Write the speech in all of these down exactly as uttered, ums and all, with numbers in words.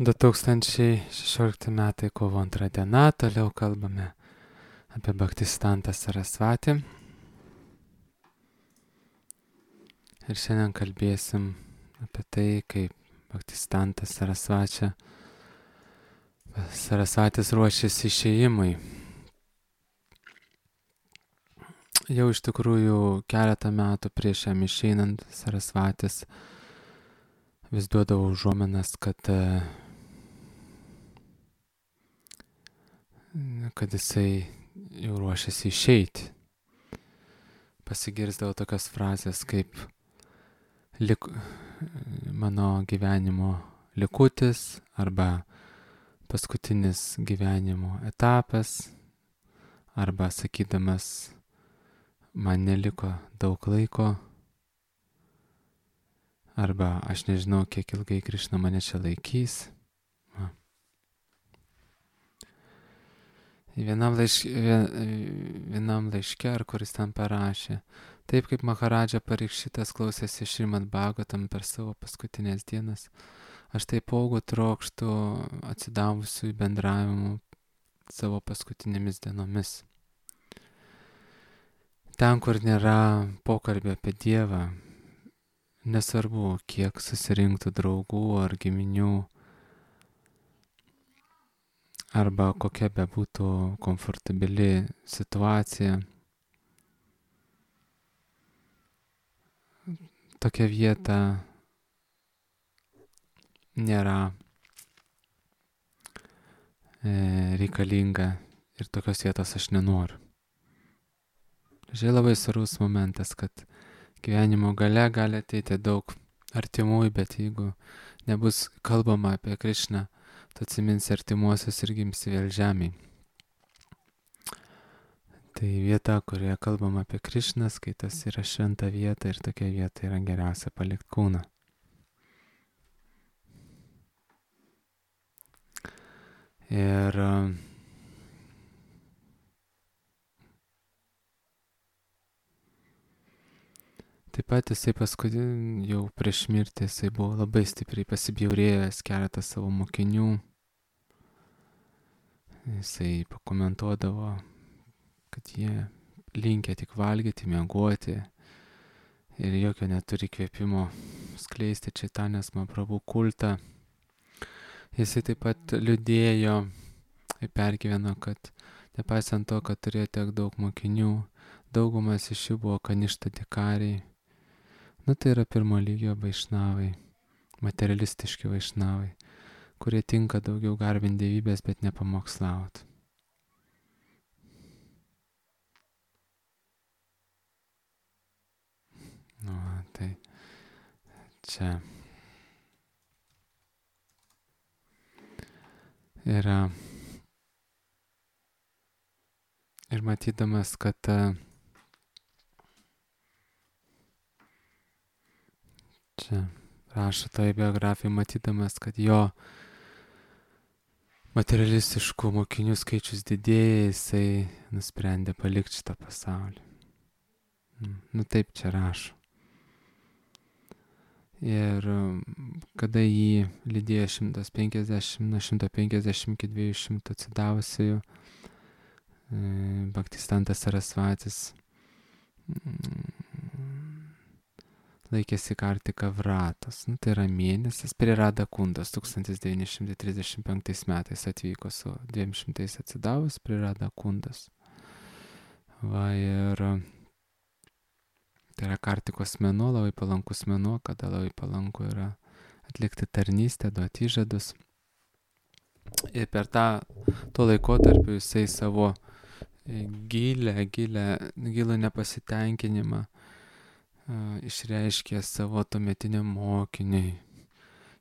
du tūkstančiai šešiolikti metai kovo antra diena, toliau kalbame apie Bhaktisiddhantą Sarasvatį. Ir šiandien kalbėsim apie tai, kaip Bhaktisiddhantas Sarasvačia, Sarasvatis ruošiasi išėjimui. Jau iš tikrųjų keletą metų prieš jam išeinant Sarasvatis vis duodavo užuominas, kad kad jisai jau ruošiasi išeiti. Pasigirsdavo tokios frazės kaip lik, mano gyvenimo likutis arba paskutinis gyvenimo etapas, arba sakydamas man neliko daug laiko, arba aš nežinau, kiek ilgai Krišna mane čia laikys. Vienam, laišk, vienam laiške, ar kuris ten parašė, taip kaip Maharadža Parikšitas klausėsi Šrimad Bhagavatam per savo paskutinės dienas, aš taipogu trokštu atsidavusių į bendravimų savo paskutinėmis dienomis. Ten, kur nėra pokalbio apie Dievą, nesvarbu, kiek susirinktų draugų ar giminių, arba kokia bebūtų komfortabili situacija, tokia vieta nėra e, reikalinga ir tokios vietos aš nenoriu. Žiūrėjau, labai svarbus momentas, kad gyvenimo gale gali ateiti daug artimųjų, bet jeigu nebus kalbama apie Krišną, tu atsiminsi artimuosius ir gimsi vėl žemėj. Tai vieta, kurioje kalbam apie Krišną, skaitas yra šventa vieta ir tokia vieta yra geriausia palikti kūną. Ir taip pat jisai paskui jau prieš mirtį jisai buvo labai stipriai pasibjaurėjęs keletą savo mokinių. Jisai pakomentuodavo, kad jie linkę tik valgyti, miegoti ir jokio neturi kvėpimo skleisti Čaitanės Mahaprabhu kultą. Jisai taip pat liūdėjo ir pergyveno, kad nepaisant to, kad turėjo tiek daug mokinių, daugumas iš jų buvo kaništa dikariai. Nu tai yra pirmo lygio vaišnavai, materialistiški vaišnavai, kurie tinka daugiau garbinti dievybės, bet nepamokslaut. Nu, tai čia yra ir matydamas, kad čia rašo tai biografijai, matydamas, kad jo materialistiškų mokinių skaičius didėja, jisai nusprendė palikti šitą pasaulį. Nu taip čia rašo. Ir kada jį lydėjo šimtas penkiasdešimt, nuo šimto penkiasdešimt iki dviejų šimtų atsidavusiųjų, Bhaktisiddhantas Sarasvatis laikėsi Kartika Vratos, nu, tai yra mėnesis, prie Radha Kundos, tūkstantis devyni šimtai trisdešimt penktais metais atvyko su dviem šimtais atsidavus prie Radha Kundos. Va ir tai yra Kartikos mėnuo, labai palankus mėnuo, kada labai palanku yra atlikti tarnystę, duoti įžadus. Ir per tą tuo laikotarpiu jisai savo gilę, gilę, gilų nepasitenkinimą išreiškė savo tuometiniam mokiniui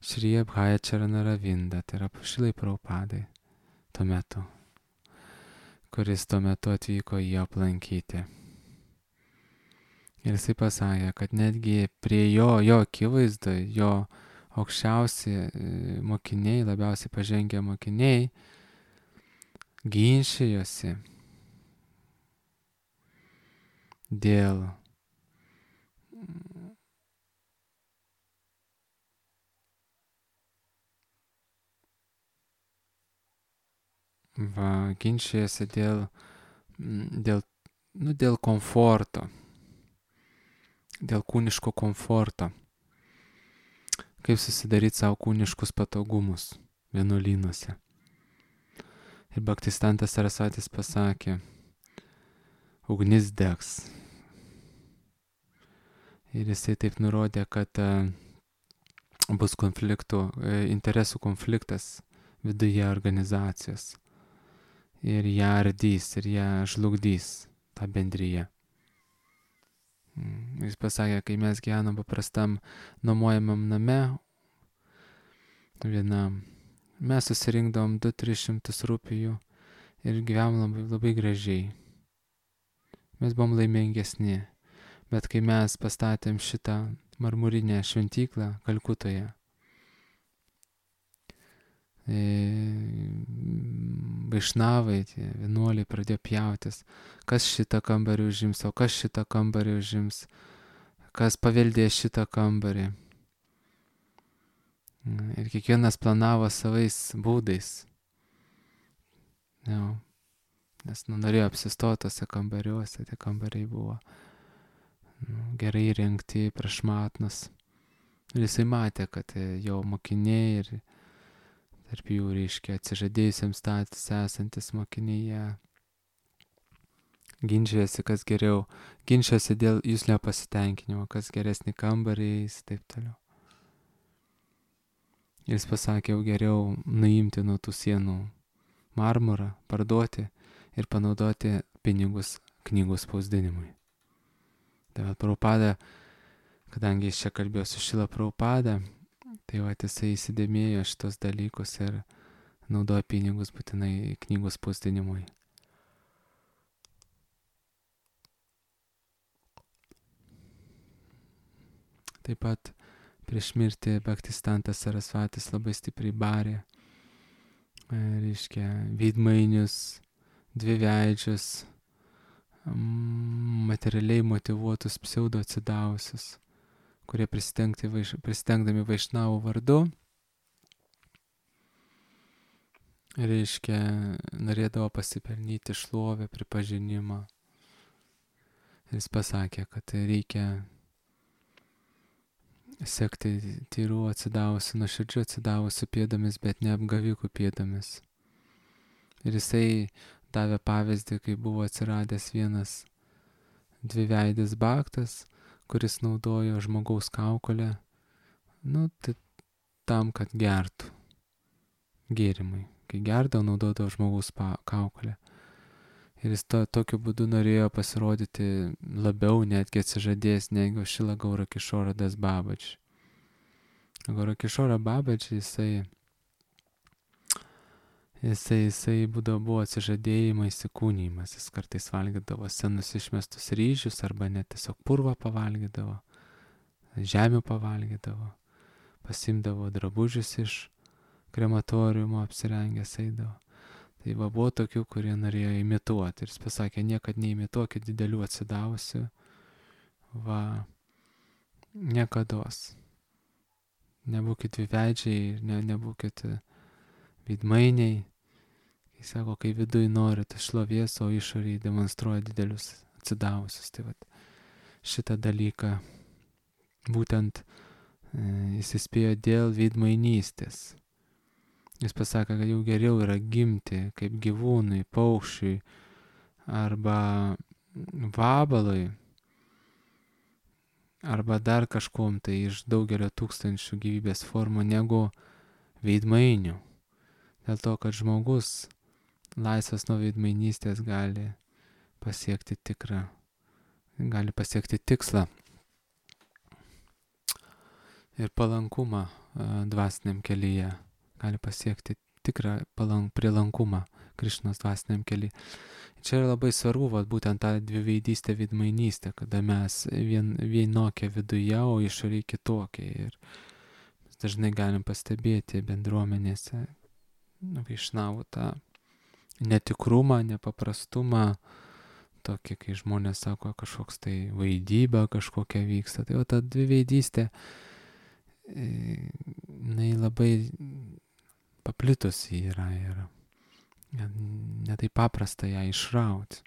Šri Abhayacharana Ravinda, tai yra Šrilai Prabhupadai tuo metu, kuris tuo metu atvyko jį aplankyti. Ir jisai pasakė, kad netgi prie jo, jo akivaizdoje, jo aukščiausi mokiniai, labiausiai pažengę mokiniai, ginčijosi dėl va, ginčijasi dėl, dėl, nu, dėl komforto, dėl kūniško komforto, kaip susidaryti savo kūniškus patogumus vienuolynuose. Ir Bhaktistantas Sarasvatis pasakė, ugnis degs. Ir jisai taip nurodė, kad bus konfliktų, interesų konfliktas viduje organizacijos. Ir ją ardys, ir ją žlugdys, tą bendryje. Jis pasakė, kai mes gyvenam paprastam nuomojamam name, vienam, mes susirinkdavom du tris šimtus rupijų ir gyvenom labai, labai gražiai. Mes buvom laimingesni. Bet kai mes pastatėm šitą marmurinę šventyklą Kalkutoje, vaišnavai, tie vienuoliai pradėjo pjautis, kas šitą kambarį užims, o kas šitą kambarį užims, kas paveldėjo šitą kambarį. Ir kiekvienas planavo savais būdais. Jau. Nes nu, norėjo apsistotose kambariuose, tie kambariai buvo nu, gerai įrengti, prašmatnus. Ir jisai matė, kad jo mokiniai ir tarp jų, reiškia, atsižadėjusiam status esantis mokiniai ginčiasi, kas geriau, ginčiasi dėl jūslo pasitenkinimo, kas geresnį kambarį ir taip toliau. Ir jis pasakė, jau geriau nuimti nuo tų sienų marmurą, parduoti ir panaudoti pinigus knygų spausdinimui. Tai va, Prabhupada, kadangi jis čia kalbėjo su Šrila Prabhupada, tai va, jisai įsidėmėjo šitos dalykus ir naudoja pinigus būtinai knygų spausdinimui. Taip pat prieš mirtį Bhaktistantas Sarasvatis labai stipriai barė, reiškia, veidmainius, dviveidžius, materialiai motyvuotus pseudo atsidavusius, kurie vaiš, prisitengdami vaišnavų vardu, reiškia, norėdavo pasipelnyti šlovę, pripažinimą. Jis pasakė, kad reikia sekti tyrų atsidavusių, nuoširdžių atsidavusių pėdomis, bet ne apgavikų pėdomis. Ir jisai davė pavyzdį, kai buvo atsiradęs vienas dviveidis baktas, kuris naudojo žmogaus kaukolę, nu, tai tam, kad gertų gėrimai. Kai gerdavo, naudodavo žmogaus kaukolę. Ir jis to, tokiu būdu norėjo pasirodyti labiau, netgi atsižadėjęs, negu Šrila Gaura Kišora Das Babaji. Gaura Kišora Babaji, jisai Jisai, jisai būdavo buvo atsižadėjimo įsikūnymas, jis kartais valgydavo senus išmestus ryžius arba net tiesiog purvą pavalgydavo, žemių pavalgydavo, pasimdavo drabužius iš krematoriumo, apsirengęs eidavo. Tai va, buvo tokių, kurie norėjo imituoti ir jis pasakė, niekad neimituokit didelių atsidavusių, va, niekados. Nebūkit dviveidžiai, ne, nebūkit veidmainiai. Jis sako, kai viduj norite šlovės, o išoriai demonstruoja didelius atsidavusius. Tai vat, šitą dalyką būtent e, jis įspėjo dėl veidmainystės. Jis pasakė, kad jau geriau yra gimti kaip gyvūnui, paukščiui arba vabalui arba dar kažkom tai iš daugelio tūkstančių gyvybės formų negu veidmainių. Dėl to, kad žmogus laisvas nuo veidmainystės gali pasiekti tikrą, gali pasiekti tikslą ir palankumą dvasiniam kelyje, gali pasiekti tikrą palank, prielankumą Krišnos dvasiniam kelyje. Čia yra labai svarbu, vat, būtent ta dviveidystė, veidmainystė, kada mes vien, vienokie viduje, o išoriai kitokie. Ir mes dažnai galim pastebėti bendruomenėse, nu, vaišnavų tą netikrumą, nepaprastumą, tokį, kai žmonės sako, kažkoks tai vaidyba kažkokia vyksta. Tai o ta dviveidystė, jinai labai paplitusi yra ir ne taip paprasta ją išrauti.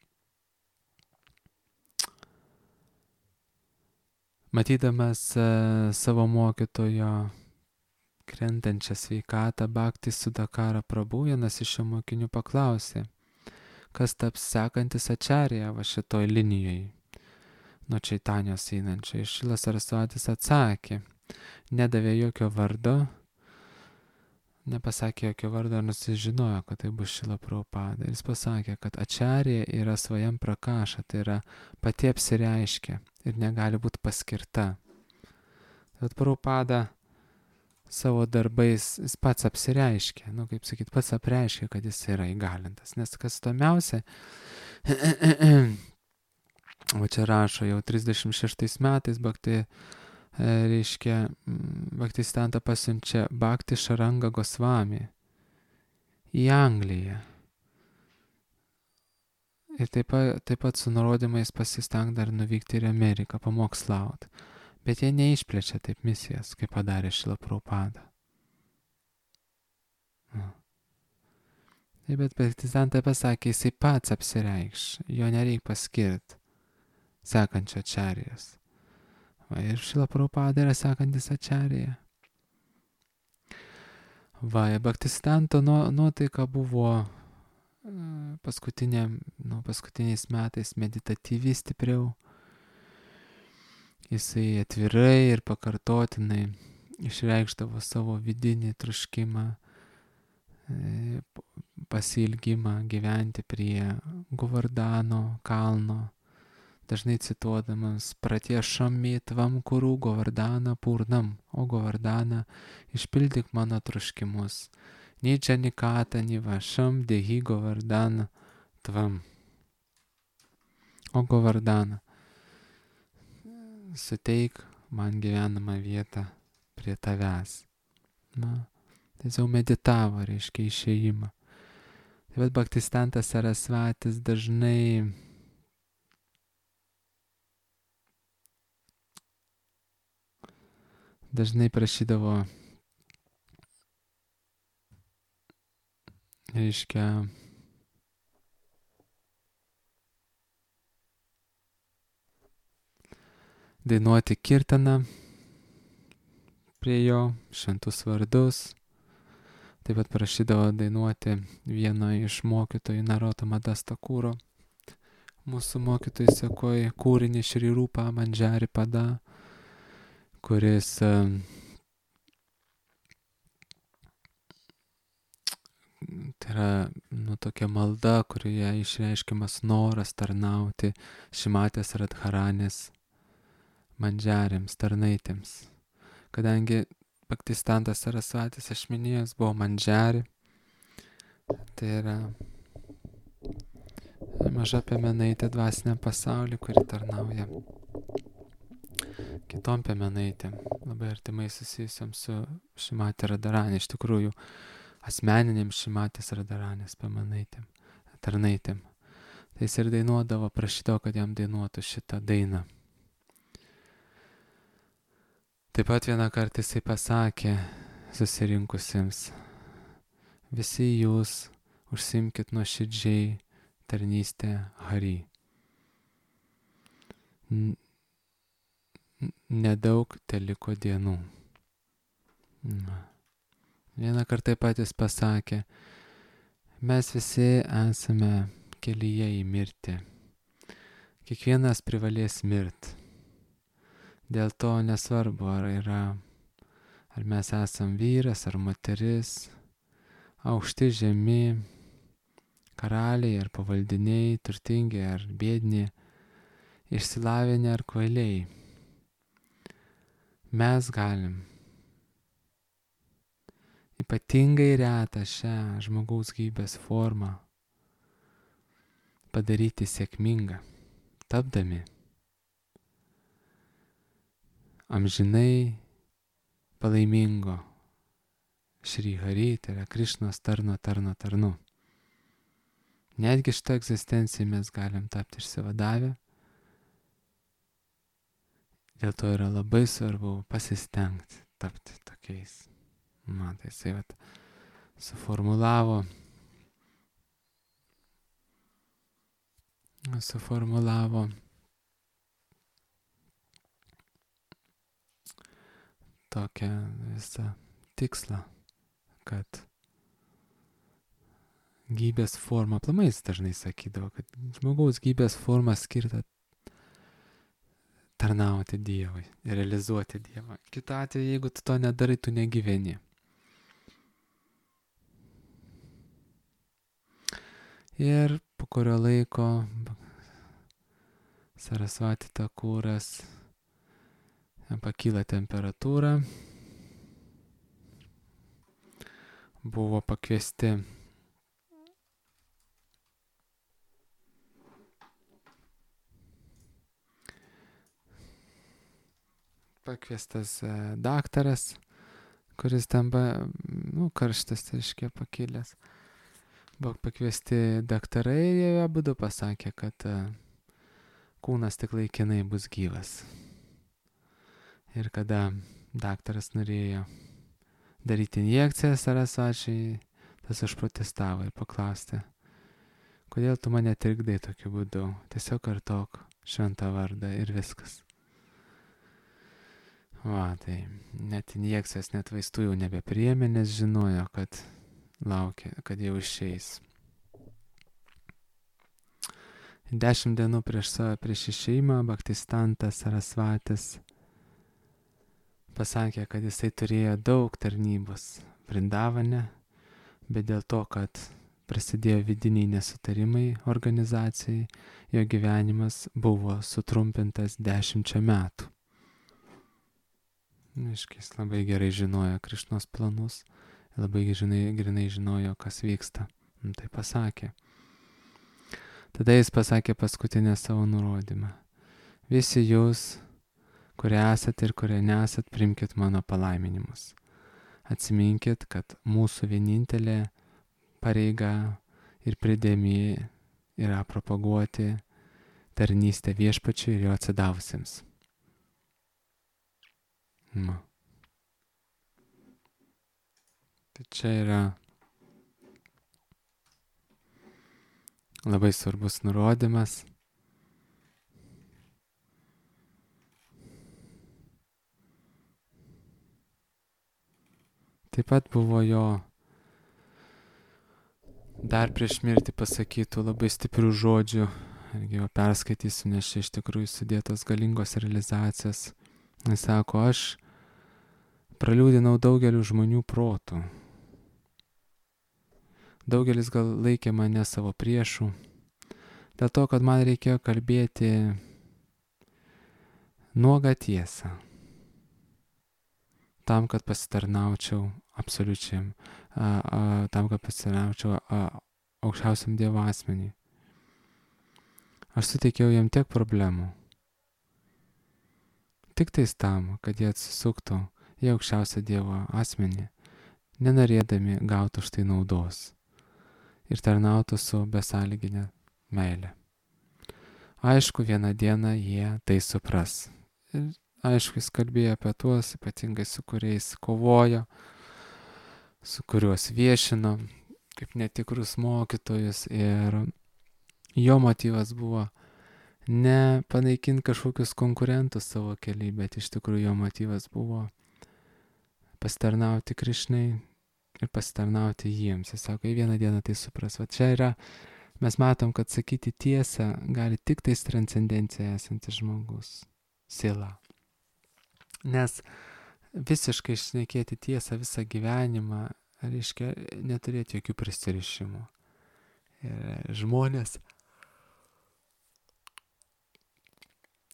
Matydamas savo mokytojo krentančią sveikatą, Bhakti Sudakara Prabhu, vienas iš jo mokinių paklausė, kas taps sekantis ačarija va šitoj linijoj, nuo Čaitanijos einančio. Ir Šilas Sarasvatis atsakė, nedavė jokio vardo, nepasakė jokio vardo, nors jis žinojo, kad tai bus Šrila Prabhupada. Jis pasakė, kad ačarija yra svajam prakaša, tai yra pati apsireiškia ir negali būti paskirta. Tad Prabhupada savo darbais jis pats apsireiškia, nu kaip sakyt, pats apreiškia, kad jis yra įgalintas. Nes kas įdomiausia, o čia rašo jau trisdešimt šeštais metais Bhakti, reiškia, Bhaktisiddhanta pasiunčia Bhakti Šaranga Gosvami į Angliją. Ir taip pat, taip pat su nurodymais pasisteng dar nuvykti ir Ameriką, pamokslauti. Bet jie neišplečia taip misijas, kaip padarė Šrila Prabhupada. Taip, bet Bhaktisiddhanta pasakė, jisai pats apsireikš, jo nereik paskirti sekančio ačarijos. Va, ir Šrila Prabhupada yra sekantis ačarija. Va, Bhaktisiddhanto nuotaika buvo paskutiniam, nu, paskutiniais metais meditatyviai stipriau. Jisai atvirai ir pakartotinai išreikšdavo savo vidinį troškimą, pasiilgimą gyventi prie Govardhano kalno, dažnai cituodamas Pratyešami tvam kuru Govardhana purnam, o Govardhana išpildyk mano troškimus. Ničia nikata nivašam dehi Govardhana tvam. O Govardhana, suteik man gyvenamą vietą prie tavęs. Na, tiesiog meditavo, reiškia, išėjimą. Taip pat Bhaktisiddhantas Sarasvatis dažnai dažnai prašydavo, reiškia, dainuoti kirtaną prie jo, šventus vardus. Taip pat prašydavo dainuoti vieno iš mokytojų Narotama Das Thakuro, mūsų mokytojų sekoj, kūrinį Šri Rupa Manjari Pada, kuris tai yra, nu, tokia malda, kurioje išreiškiamas noras tarnauti Šimatės Radharanės Manjariams, tarnaitėms. Kadangi Bhaktisiddhantas Sarasvatis, aš minėjęs, buvo Manjari, tai yra maža piemenaitė dvasiniam pasauliu, kuri tarnauja kitom piemenaitėm, labai artimai susijusiam su Šimatė Radharanė, iš tikrųjų asmeniniam Šimatės Radharanės piemenaitėm, tarnaitėm. Tai jis ir dainuodavo, prašydavo, kad jam dainuotų šitą dainą. Taip pat vieną kartą jisai pasakė susirinkusiems, visi jūs užsiimkit nuoširdžiai tarnystę Hari. Nedaug teliko dienų. Vieną kartą taip pat jis pasakė, mes visi esame kelyje į mirtį. Kiekvienas privalės mirti. Dėl to nesvarbu, ar yra, ar mes esam vyras ar moteris, aukšti, žemi, karaliai ar pavaldiniai, turtingi ar biedni, išsilavinę ar kvailiai. Mes galim ypatingai retą šią žmogaus gyvybės formą padaryti sėkmingą, tapdami amžinai palaimingo Šri Hari, tai yra Krišnos tarno tarno tarnu. Netgi šitą egzistenciją mes galim tapti išsivadavę. Dėl to yra labai svarbu pasistengti tapti tokiais. Man tai jisai vat suformulavo suformulavo tokią visą tikslą, kad gyvybės forma, aplamai jis dažnai sakydavo, kad žmogaus gyvybės forma skirta tarnauti Dievui, realizuoti Dievą. Kitu atveju, jeigu tu to nedarai, tu negyveni. Ir po kurio laiko Sarasvati Takuras pakyla temperatūra, buvo pakviesti pakviestas daktaras, kuris ten buvo, nu, karštas, reiškia, pakilęs. Buvo pakviesti daktarai ir jie abudu pasakė, kad kūnas tik laikinai bus gyvas. Ir kada daktaras norėjo daryti injekciją Sarasvačiui, tas užprotestavo ir paklausė, kodėl tu mane trikdai tokiu būdu, tiesiog kartok šventą vardą ir viskas. Va, tai net injekcijos, net vaistų jau nebepriėmė, nes žinojo, kad laukia, kad jau išeis. Dešimt dienų prieš savo, prieš išėjimą Bhaktistantas Sarasvatis pasakė, kad jisai turėjo daug tarnybos Vrindavane, bet dėl to, kad prasidėjo vidiniai nesutarimai organizacijai, jo gyvenimas buvo sutrumpintas dešimčia metų. Aiškiai, jis labai gerai žinojo Krišnos planus, labai žinai, grinai žinojo, kas vyksta. Tai pasakė. Tada jis pasakė paskutinę savo nurodymą. Visi jūs, kurie esat ir kurie nesat, primkit mano palaiminimus. Atsiminkit, kad mūsų vienintelė pareiga ir pridėmė yra propaguoti tarnystę viešpačiui ir jo atsidavusiems. Nu. Tai čia yra labai svarbus nurodymas. Taip pat buvo jo dar prieš mirtį pasakytų labai stiprių žodžių, irgi jo perskaitysiu, nes čia iš tikrųjų sudėtos galingos realizacijos. Jis sako, aš praliūdinau daugelių žmonių protų. Daugelis gal laikė mane savo priešų, dėl to, kad man reikėjo kalbėti nuogą tiesą, tam, kad pasitarnaučiau absoliučiam, a, a, tam, kad pasitarnaučiau a, aukščiausiam Dievo asmeniui. Aš suteikiau jam tiek problemų, tik tais tam, kad jie atsisuktų į aukščiausią Dievo asmenį, nenorėdami gauti už tai naudos ir tarnautų su besąlyginė meilė. Aišku, vieną dieną jie tai supras. Ir aišku, jis kalbėjo apie tuos, ypatingai su kuriais kovojo, su kuriuos viešino, kaip netikrus mokytojus. Ir jo motyvas buvo ne panaikinti kažkokius konkurentus savo keliai, bet iš tikrųjų jo motyvas buvo pasitarnauti Krišnai ir pasitarnauti jiems. Jis sako, į vieną dieną tai supras. Va čia yra, mes matom, kad sakyti tiesą gali tik tais transcendencija esantis žmogus, siela. Nes visiškai šnekėti tiesą visą gyvenimą, reiškia neturėti jokių prisirišimų. Ir žmonės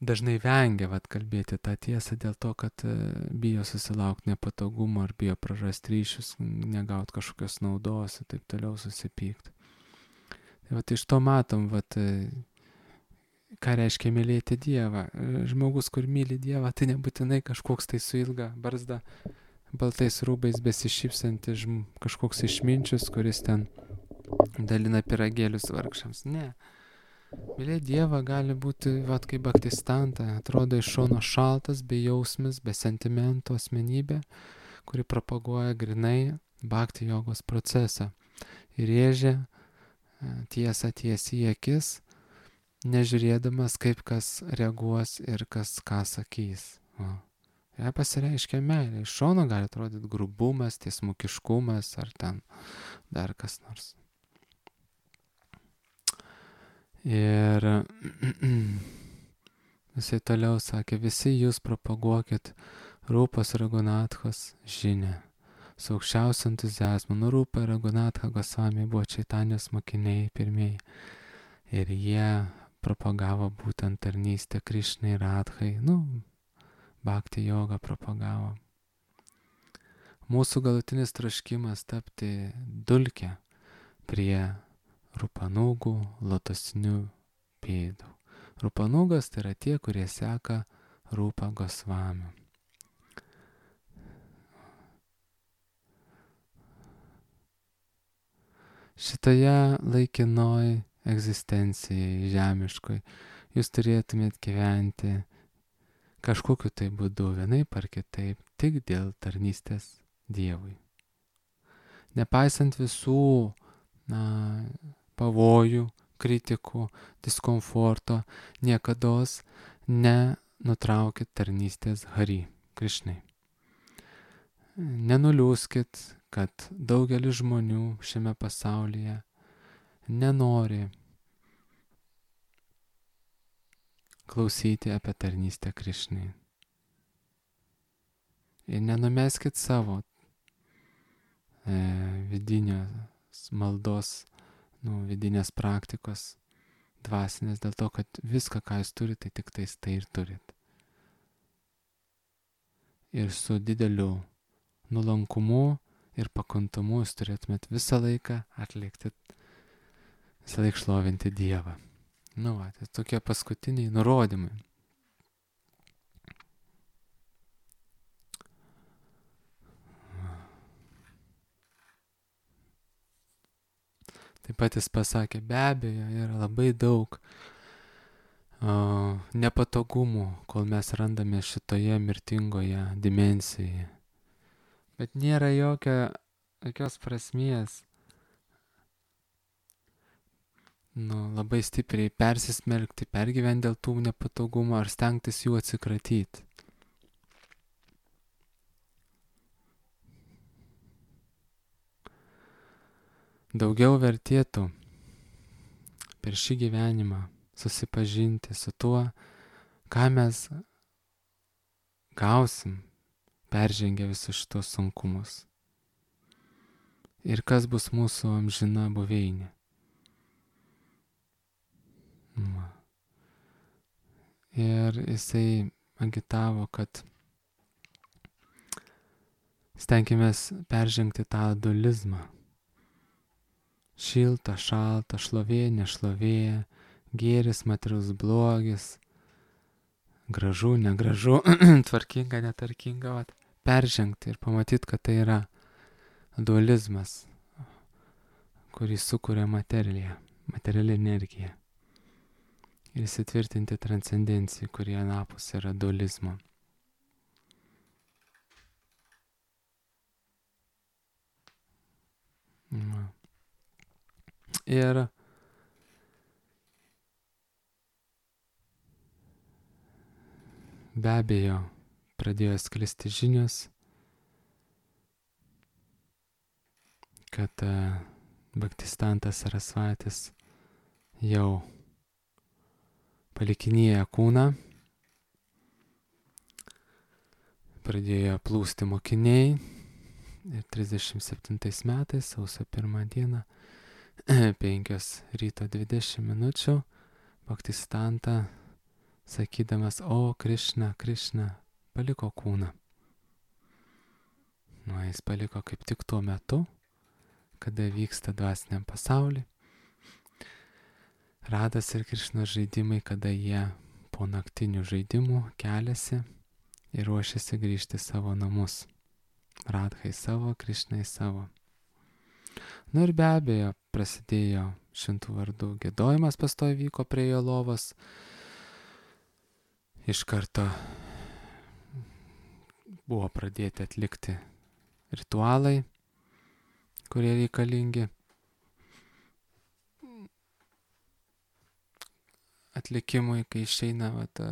dažnai vengia vat, kalbėti tą tiesą dėl to, kad bijo susilaukti nepatogumo ar bijo prarasti ryšius, negauti kažkokios naudos ir taip toliau susipykti. Tai vat, iš to matom, vat, ką reiškia mylėti Dievą. Žmogus, kur myli Dievą, tai nebūtinai kažkoks tai su ilga barzda, baltais rūbais besišypsantis kažkoks išminčius, kuris ten dalina pyragėlius vargšams. Ne. Mylėti Dievą gali būti, vat, kaip Bhaktistanta, atrodo iš šono šaltas, bejausmis, be sentimento asmenybė, kuri propaguoja grinai bhakti jogos procesą ir rėžia tiesą tiesiai į akis nežiūrėdamas, kaip kas reaguos ir kas ką sakys. O. Jei pasireiškia meilė, iš šono gali atrodyti grubumas, tiesmukiškumas ar ten dar kas nors. Ir jisai toliau sakė, visi jūs propaguokit Rūpos Ragunathos žinią. Su aukščiausiu entuziazmu. Nu, Rūpa ir Ragunatha Gosvami buvo Čaitanijos mokiniai pirmieji. Ir jie propagavo būtent tarnystę Krišnai Radhai. Nu, bhakti jogą propagavo. Mūsų galutinis troškimas tapti dulke prie Rupanugų lotosinių pėdų. Rupanugas tai yra tie, kurie seka Rūpa Gosvami. Šitoje laikinoj egzistencijai žemiškoj jūs turėtumėt gyventi kažkokiu tai būdu, vienaip ar kitaip, tik dėl tarnystės Dievui. Nepaisant visų na, pavojų, kritikų, diskomforto, niekados nenutraukit tarnystės Hari, Krišnai. Nenuliūskit, kad daugelis žmonių šiame pasaulyje nenori klausyti apie tarnystę Krišnai. Ir nenumeskit savo e, vidinės maldos, nu, vidinės praktikos dvasinės, dėl to, kad viską, ką jūs turite, tai tik tais tai ir turit. Ir su dideliu nuolankumu ir pakantumu jūs turėtumėt visą laiką atlikti, visą laiką šlovinti Dievą. Nu, va, tai tokie paskutiniai nurodymai. Taip pat jis pasakė, be abejo, yra labai daug uh, nepatogumų, kol mes randame šitoje mirtingoje dimensijoje. Bet nėra jokio, jokios prasmės nu, labai stipriai persismelkti, pergyventi dėl tų nepatogumų ar stengtis jų atsikratyti. Daugiau vertėtų per šį gyvenimą susipažinti su tuo, ką mes gausim, peržengę visus šitos sunkumus. Ir kas bus mūsų amžina buveinė. Ir jisai agitavo, kad stenkimės peržengti tą dualizmą. Šilta, šalta, šlovė, nešlovė, gėris, materialus blogis, gražu, negražu, tvarkinga, netvarkinga, vat, peržengti ir pamatyti, kad tai yra dualizmas, kurį sukuria materija, materiali energija. Ir įsitvirtinti transcendencijai, kurie anapus yra dualizmo. Na. Ir be abejo pradėjo sklisti žinios, kad uh, Bhaktistantas Sarasvatis jau palikinėja kūną, pradėjo plūsti mokiniai ir trisdešimt septintais metais, sausio pirmą dieną, penkios ryto dvidešimt minučių, Bhaktistanta, sakydamas, o Krišna, Krišna, paliko kūną. Nu, jis paliko kaip tik tuo metu, kada vyksta dvasiniam pasauly. Radas ir Krišnos žaidimai, kada jie po naktinių žaidimų keliasi ir ruošiasi grįžti savo namus. Radhai savo, Krišnai savo. Nu ir be abejo, prasidėjo šimtų vardų giedojimas, pastovi vyko prie jo lovos. Iš karto buvo pradėti atlikti ritualai, kurie reikalingi. atlikimui, kai išeina vat,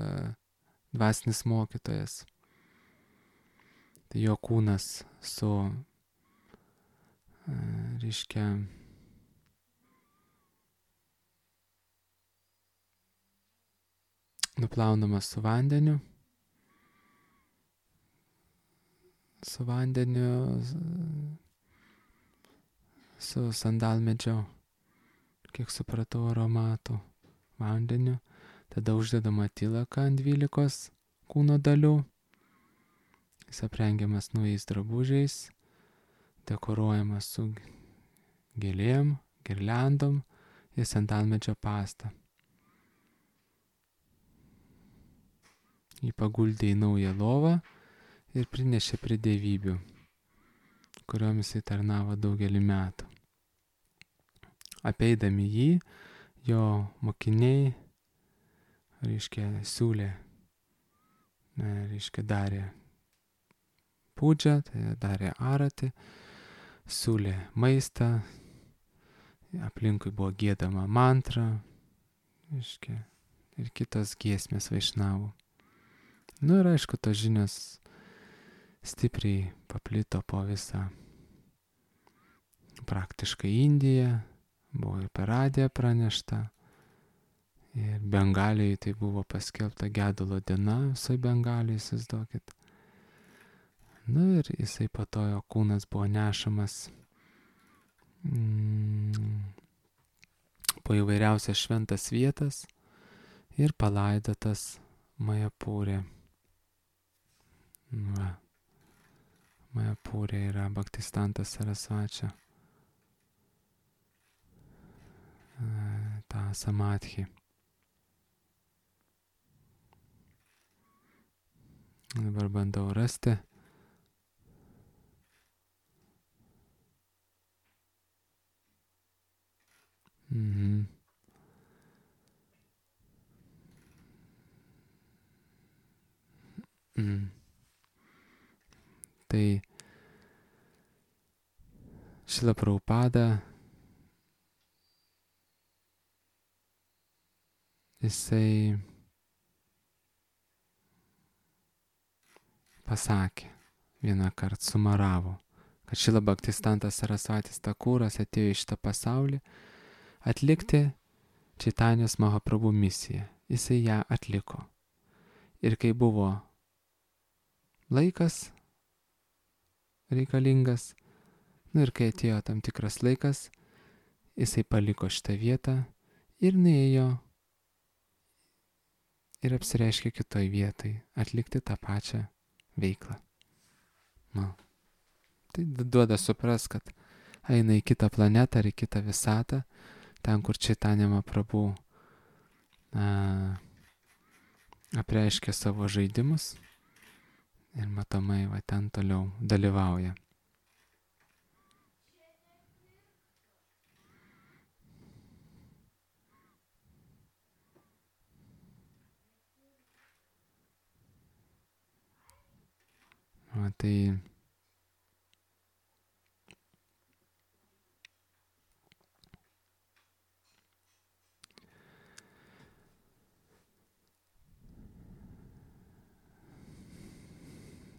dvasinis mokytojas. Tai jo kūnas su, reiškia, nuplaunamas su vandeniu, su vandeniu, su sandalmedžio, kiek supratau, aromatų vandeniu, tada uždedama tylaka ant dvylikos kūno dalių, jis aprengiamas naujais drabužiais, dekoruojamas su gėlėm, girliandom ir sandalmedžio pasta. Jį paguldė į naują lovą ir prinešė prie dievybių, kuriom jisai tarnavo daugelį metų. Apeidami jį, jo mokiniai, reiškia, siūlė, reiškia, darė pūdžią, tai darė aratį, siūlė maistą, aplinkui buvo giedama mantra, reiškia, ir kitos giesmės vaišnavų. Nu ir aišku, tos žinios stipriai paplito po visą praktiškai Indiją, buvo ir per radiją pranešta, ir Bengalijai tai buvo paskelbta gedulo diena, visai Bengalijai, įsivaizduokit. Nu ir jisai po to jo kūnas buvo nešamas mm, po įvairiausias šventas vietas ir palaidotas Majapūrė. Va. Majapūrė yra Bhaktistantas Sarasvačia. Ta samadhi. Dabar bandau rasti. Mhm. Mhm. Tai Šrila Prabhupada jisai pasakė, vieną kartą sumaravo, kad Šrila Bhaktistantas Sarasvatis Thakuras atėjo į šitą pasaulį atlikti Čaitanijos Mahaprabhu misiją. Jisai ją atliko. Ir kai buvo laikas reikalingas, nu ir kai atėjo tam tikras laikas, jisai paliko šitą vietą ir nuėjo ir apsireiškė kitoj vietoj atlikti tą pačią veiklą. Nu. Tai duoda supras, kad eina į kitą planetą ar į kitą visatą, ten, kur Čaitanija Mahaprabhu apreiškė savo žaidimus ir matomai va ten toliau dalyvauja. Va, tai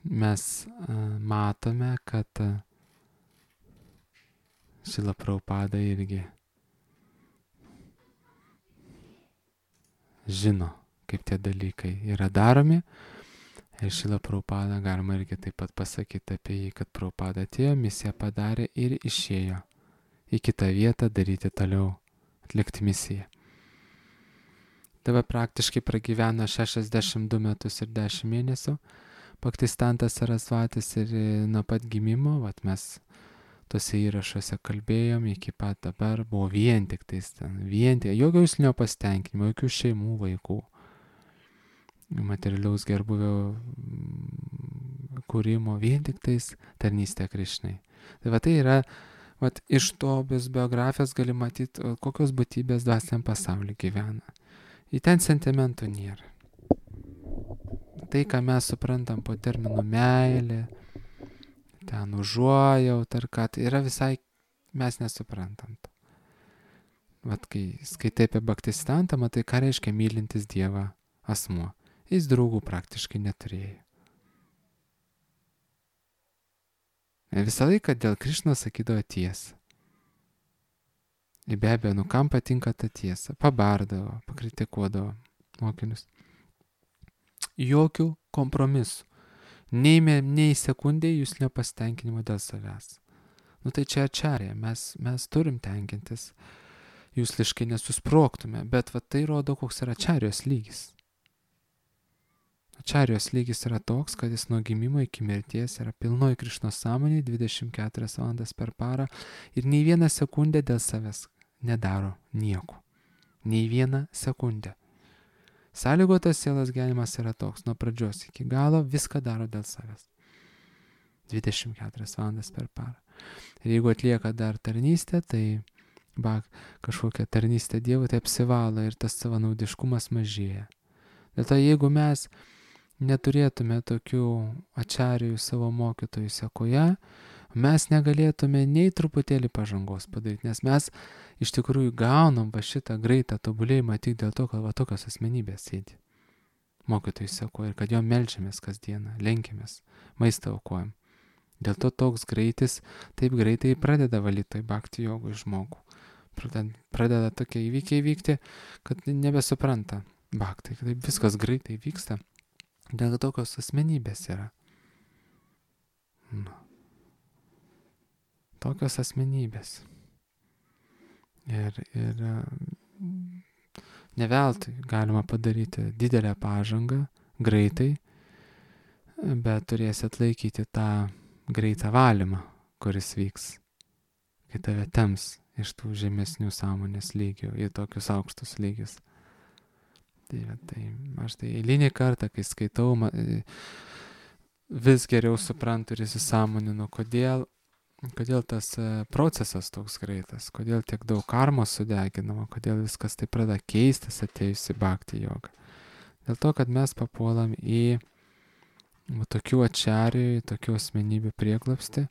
mes a, matome, kad Šrila Prabhupada irgi žino, kaip tie dalykai yra daromi. Ir Šrila Prabhupada galima irgi taip pat pasakyti apie jį, kad Prabhupada atėjo, misiją padarė ir išėjo į kitą vietą daryti toliau, atlikti misiją. Dabar praktiškai pragyveno šešiasdešimt du metus ir dešimt mėnesių. Bhaktistantas Sarasvatis ir nuo pat gimimo, vat mes tose įrašuose kalbėjom, iki pat dabar buvo vien tik tais ten, vien tik, jokio jūslinio pasitenkinimo, jokių šeimų, vaikų, materialiaus gerbuvio kūrimo, vien tik tais tarnystė Krišnai. Tai va tai yra, va iš to biografijos gali matyti, kokios būtybės dvasiniam pasaulyje gyvena. Į ten sentimentų nėra. Tai, ką mes suprantam po terminu meilė, ten užuojaut ar ką, tai yra visai, mes nesuprantam. vat kai skaitai apie Baktistantą, matai, ką reiškia mylintis Dievą asmuo. Jis draugų praktiškai neturėjo. Ir visą laiką dėl Krišnos sakydavo tiesą. Ir be abejo, nu kam patinka ta tiesa, pabardavo, pakritikuodavo mokinius. Jokių kompromisų. Nei, nei sekundė jūs nepastenkinimo dėl savęs. Nu tai čia ačarė, mes, mes turim tenkintis, jūs liškai nesusproktume, bet va tai rodo, koks yra ačarijos lygis. Ačarijos lygis yra toks, kad jis nuo gimimo iki mirties yra pilnoj Krišnos sąmonėje dvidešimt keturias valandas per parą ir nei vieną sekundę dėl savęs nedaro nieko. Nei vieną sekundę. Sąlygotas sielos gyvenimas yra toks, nuo pradžios iki galo viską daro dėl savęs. dvidešimt keturias valandas per parą. Ir jeigu atlieka dar tarnystę, tai ba, kažkokią tarnystę Dievui, tai apsivalo ir tas savanaudiškumas mažėja. Dėl to jeigu mes neturėtume tokių ačarijų savo mokytojų sekoje, mes negalėtume nei truputėlį pažangos padaryti, nes mes iš tikrųjų gaunam va šitą greitą tobulėjimą tik dėl to, kad va tokios asmenybės sėdi mokytojų sekoje ir kad jo melčiamės kasdieną, lenkimės, maistą aukojam. Dėl to toks greitis taip greitai pradeda valyti toj bhakti jogoj žmogų. Pradeda, pradeda tokie įvykiai vykti, kad nebesupranta bhakti, kad taip viskas greitai vyksta. Dėl tokios asmenybės yra. Nu. Tokios asmenybės. Ir, ir ne veltui galima padaryti didelę pažangą greitai, bet turėsi atlaikyti tą greitą valymą, kuris vyks, kai tave temps iš tų žemesnių sąmonės lygių į tokius aukštus lygius. Tai, tai aš tai eilinį kartą, kai skaitau, vis geriau suprantu ir įsisąmoninu, kodėl, kodėl tas procesas toks greitas, kodėl tiek daug karmos sudeginama, kodėl viskas taip pradeda keistis atėjus į bhakti jogą. Dėl to, kad mes papuolam į tokių ačarijų, tokių asmenybių prieglobstį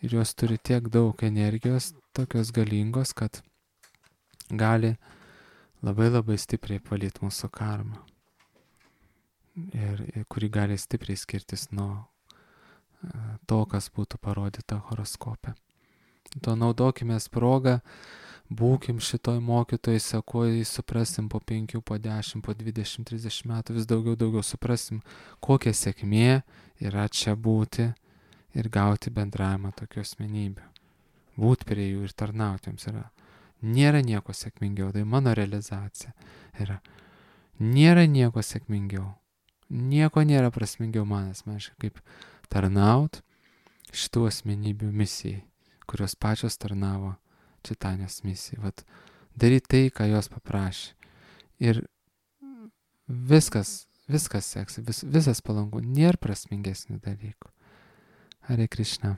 ir jos turi tiek daug energijos, tokios galingos, kad gali labai labai stipriai palyti mūsų karmą ir, ir kuri gali stipriai skirtis nuo to, kas būtų parodyta horoskope. To naudokime progą, būkim šitoj mokytojai sekoj, suprasim po penkių, po dešimt, po dvidešimt, trisdešimt metų, vis daugiau, daugiau suprasim, kokia sėkmė yra čia būti ir gauti bendravimą tokių asmenybių. Būt prie jų ir tarnauti jums yra. Nėra nieko sėkmingiau, tai mano realizacija yra. Nėra nieko sėkmingiau. Nieko nėra prasmingiau man asmeniškai, kaip tarnaut šitų asmenybių misijai, kurios pačios tarnavo Čitanės misijai. Vat daryti tai, ką jos paprašė. Ir viskas, viskas seks, vis, visas palanku, nėra prasmingesnių dalykų. Hare Krishna.